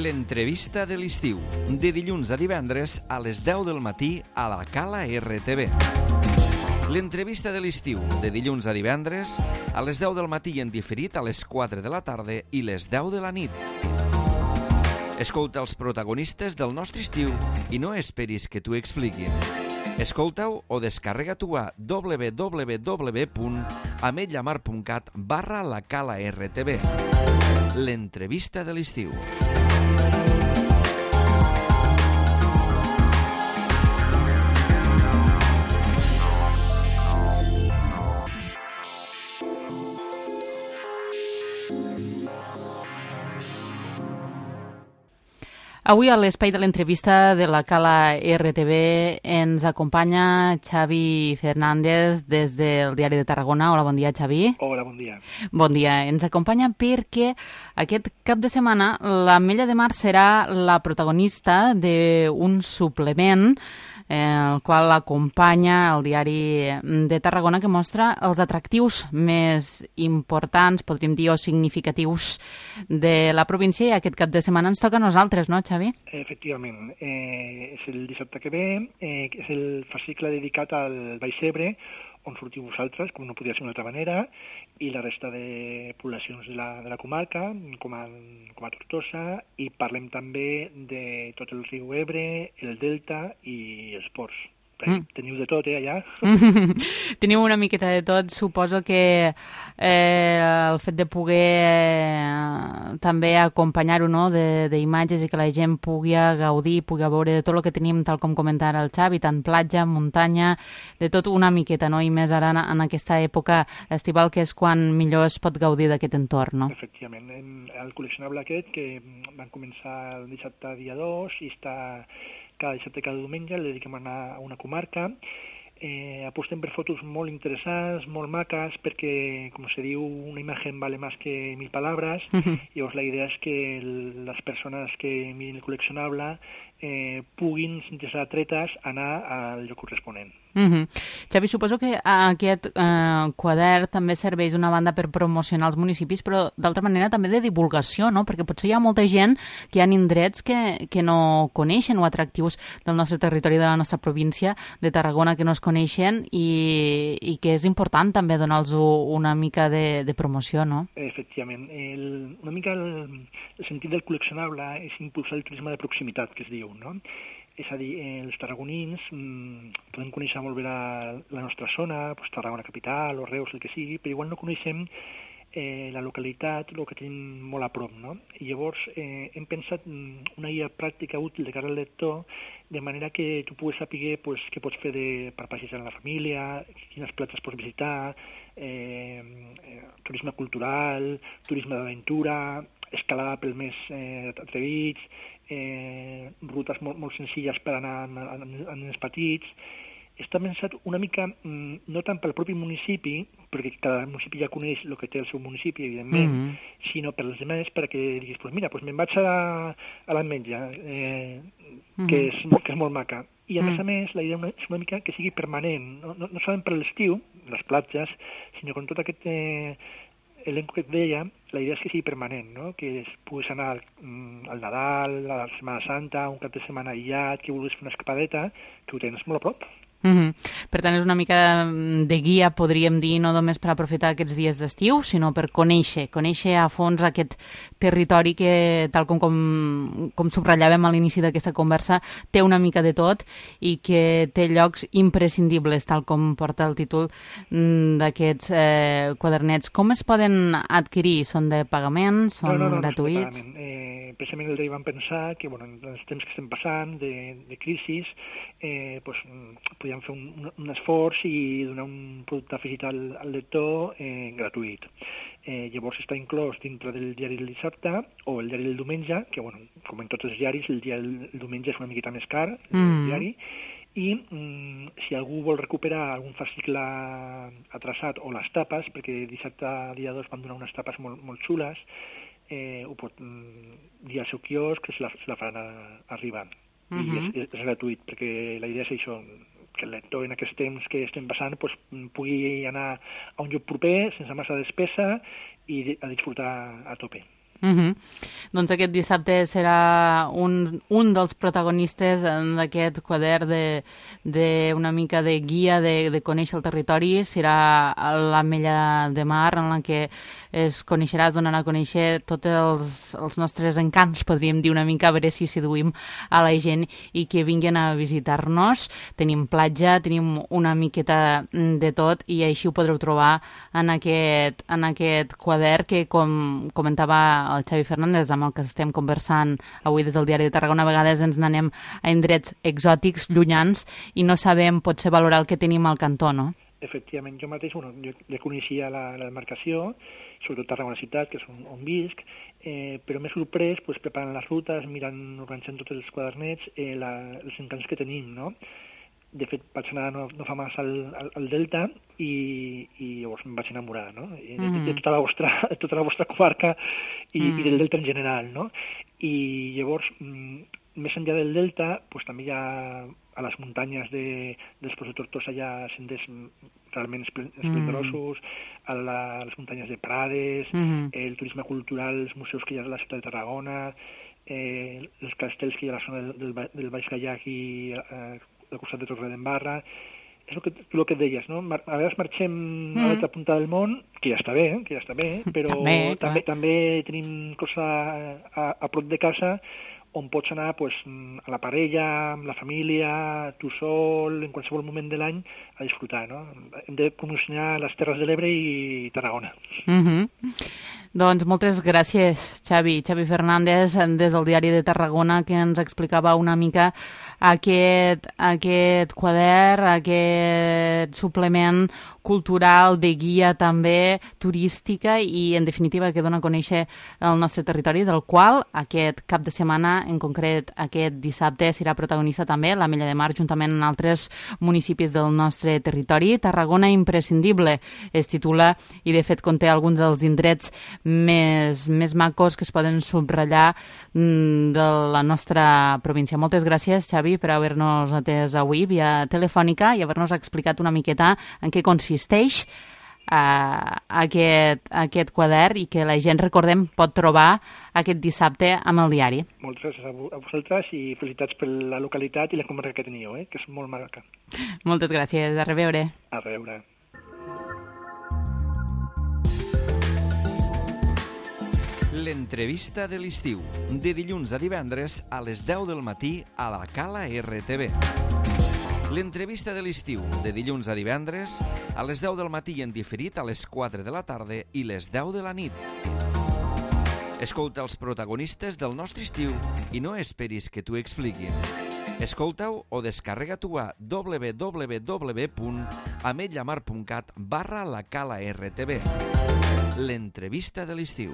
L'entrevista de l'estiu, de dilluns a divendres a les 10 del matí a la Cala RTV. L'entrevista de l'estiu, de dilluns a divendres a les 10 del matí i en diferit a les 4 de la tarda i les 10 de la nit. Escolta els protagonistes del nostre estiu i no esperis que t'ho expliquin. Escolta-ho o descarrega-t'ho a www.ametlllamar.cat/lacala-rtv. L'entrevista de l'estiu. Avui a l'espai de l'entrevista de la Cala RTV ens acompanya Xavi Fernández des del Diari de Tarragona. Hola, bon dia, Xavi. Hola, bon dia. Bon dia. Ens acompanya perquè aquest cap de setmana l'Ametlla de Mar serà la protagonista d'un suplement el qual acompanya el Diari de Tarragona, que mostra els atractius més importants, podríem dir, o significatius de la província, i aquest cap de setmana ens toca a nosaltres, no, Xavi? Efectivament. És el dissabte que ve, és el fascicle dedicat al Baix Ebre, on sortiu vosaltres, com no podia ser d'una altra manera, i la resta de poblacions de la comarca, com a Tortosa, i parlem també de tot el riu Ebre, el Delta i els ports. Teniu de tot, allà? Teniu una miqueta de tot. Suposo que el fet de poder també acompanyar-ho, no?, d'imatges i que la gent pugui gaudir, pugui veure de tot el que tenim, tal com comentava el Xavi, tant platja, muntanya, de tot una miqueta, no?, i més ara en aquesta època estival, que és quan millor es pot gaudir d'aquest entorn, no? Efectivament. El col·leccionable aquest, que van començar el dissabte dia 2 i està cada dissabte, cada diumenge, le dediquem a anar a una comarca. Apostem per fotos molt interessants, molt maques, perquè, com se diu, una imatge vale més que 1000 paraules. Llavors la idea és que les persones que mirin el col·leccionable puguin, sense ser atretes, anar al lloc corresponent. Xavi, suposo que aquest quadern també serveix d'una banda per promocionar els municipis, però d'altra manera també de divulgació, no? Perquè potser hi ha molta gent que hi ha indrets que no coneixen, o atractius del nostre territori, de la nostra província de Tarragona, que no es coneixen, i que és important també donar-los una mica de promoció, no? Efectivament. Una mica el sentit del col·leccionable és impulsar el turisme de proximitat, que es diu, no? És a dir, els tarragonins podem conèixer molt bé la nostra zona, Tarragona capital o Reus, el que sigui, però igual no coneixem la localitat, el que tenim molt a prop, no? I llavors hem pensat una guia pràctica útil de cara al lector, de manera que tu puguis saber què pots fer per passejar amb la família, quines platges pots visitar, turisme cultural, turisme d'aventura, escalada pels més atrevits, rutes molt senzilles per anar a nens petits. Està pensat una mica, no tant pel propi municipi, perquè cada municipi ja coneix el que té el seu municipi, evidentment, sinó per als demés, perquè diguis, mira, me'n vaig a l'Ametlla, que és molt maca. I a més, la idea és una mica que sigui permanent, no solament per l'estiu, les platges, sinó com tot aquest elenco que et deia, la idea és que sigui permanent, no? Que puguis anar al Nadal, a la Setmana Santa, un cap de setmana aïllat, que vulguis fer una escapadeta, que ho tens molt a prop. Per tant, és una mica de guia, podríem dir, no només per aprofitar aquests dies d'estiu, sinó per conèixer a fons aquest territori que, tal com subratllàvem a l'inici d'aquesta conversa, té una mica de tot i que té llocs imprescindibles, tal com porta el títol d'aquests quadernets. Com es poden adquirir? Són de pagament? Són gratuïts? No, precisament el dia vam pensar que, en els temps que estem passant de crisi, podíem fer un esforç i donar un producte afegit al lector gratuït. Llavors està inclòs dintre del diari del dissabte o el diari del diumenge, que, com en tots els diaris, el diumenge és una miqueta més car, el diari, i si algú vol recuperar algun fascicle atrasat o les tapes, perquè dissabte dia 2 van donar unes tapes molt xules, ho pot dir al seu quiosc, que se la faran arribar. I és gratuït, perquè la idea és això, que el lector en aquests temps que estem passant pugui anar a un lloc proper, sense massa despesa, i a disfrutar a tope. Doncs aquest dissabte serà un dels protagonistes d'aquest quadern d'una mica de guia de conèixer el territori. Serà l'Ametlla de Mar, en la que es coneixerà, es donarà a conèixer tots els nostres encants, podríem dir una mica, a veure si seduïm a la gent i que vinguin a visitar-nos. Tenim platja, tenim una miqueta de tot i així ho podreu trobar en aquest quadern que, com comentava el Xavi Fernández, amb el que estem conversant avui des del Diari de Tarragona, a vegades ens n'anem a indrets exòtics, llunyans, i no sabem potser valorar el que tenim al cantó, no? Efectivament, jo mateix, jo ja coneixia la demarcació, sobretot Tarragona ciutat, que és on visc, però m'he sorprès preparant les rutes, organitzant tots els quadernets, els encants que tenim, no? De fet, vaig anar no fa massa al Delta i llavors em vaig enamorar, no? De tota la vostra comarca i del Delta en general, no? I llavors, més enllà del Delta, també hi ha a les muntanyes dels Pous de Tortosa hi ha senders realment esplendorosos, a les muntanyes de Prades, el turisme cultural, els museus que hi ha a la ciutat de Tarragona, els castells que hi ha a la zona del Baix Gaiac i al costat de Torredembarra. És el que et deies, no? A vegades marxem a l'altra punta del món, que ja està bé, però també tenim cosa a prop de casa on pots anar a la parella, amb la família, tu sol, en qualsevol moment de l'any, a disfrutar, no? Hem de promocionar les Terres de l'Ebre i Tarragona. Doncs moltes gràcies, Xavi Fernández, des del Diari de Tarragona, que ens explicava una mica aquest quadern, aquest suplement cultural, de guia també, turística i, en definitiva, que dona a conèixer el nostre territori, del qual aquest cap de setmana, en concret aquest dissabte, serà protagonista també l'Ametlla de Mar, juntament amb altres municipis del nostre territori. Tarragona imprescindible es titula i, de fet, conté alguns dels indrets més macos que es poden subratllar de la nostra província. Moltes gràcies, Xavi, per haver-nos atès avui via telefònica i haver-nos explicat una miqueta en què consisteix aquest quadern i que la gent, recordem, pot trobar aquest dissabte amb el diari. Moltes gràcies a vosaltres i felicitats per la localitat i la comarca que teniu, que és molt maca. Moltes gràcies. A reveure. A reveure. L'entrevista de l'estiu, de dilluns a divendres a les 10 del matí a la Cala RTV. L'entrevista de l'estiu, de dilluns a divendres a les 10 del matí i en diferit a les 4 de la tarda i les 10 de la nit. Escolta els protagonistes del nostre estiu i no esperis que t'ho expliquin. Escolta-ho o descarrega-t'ho a www.ametlamar.cat/la Cala RTV. L'entrevista de l'estiu.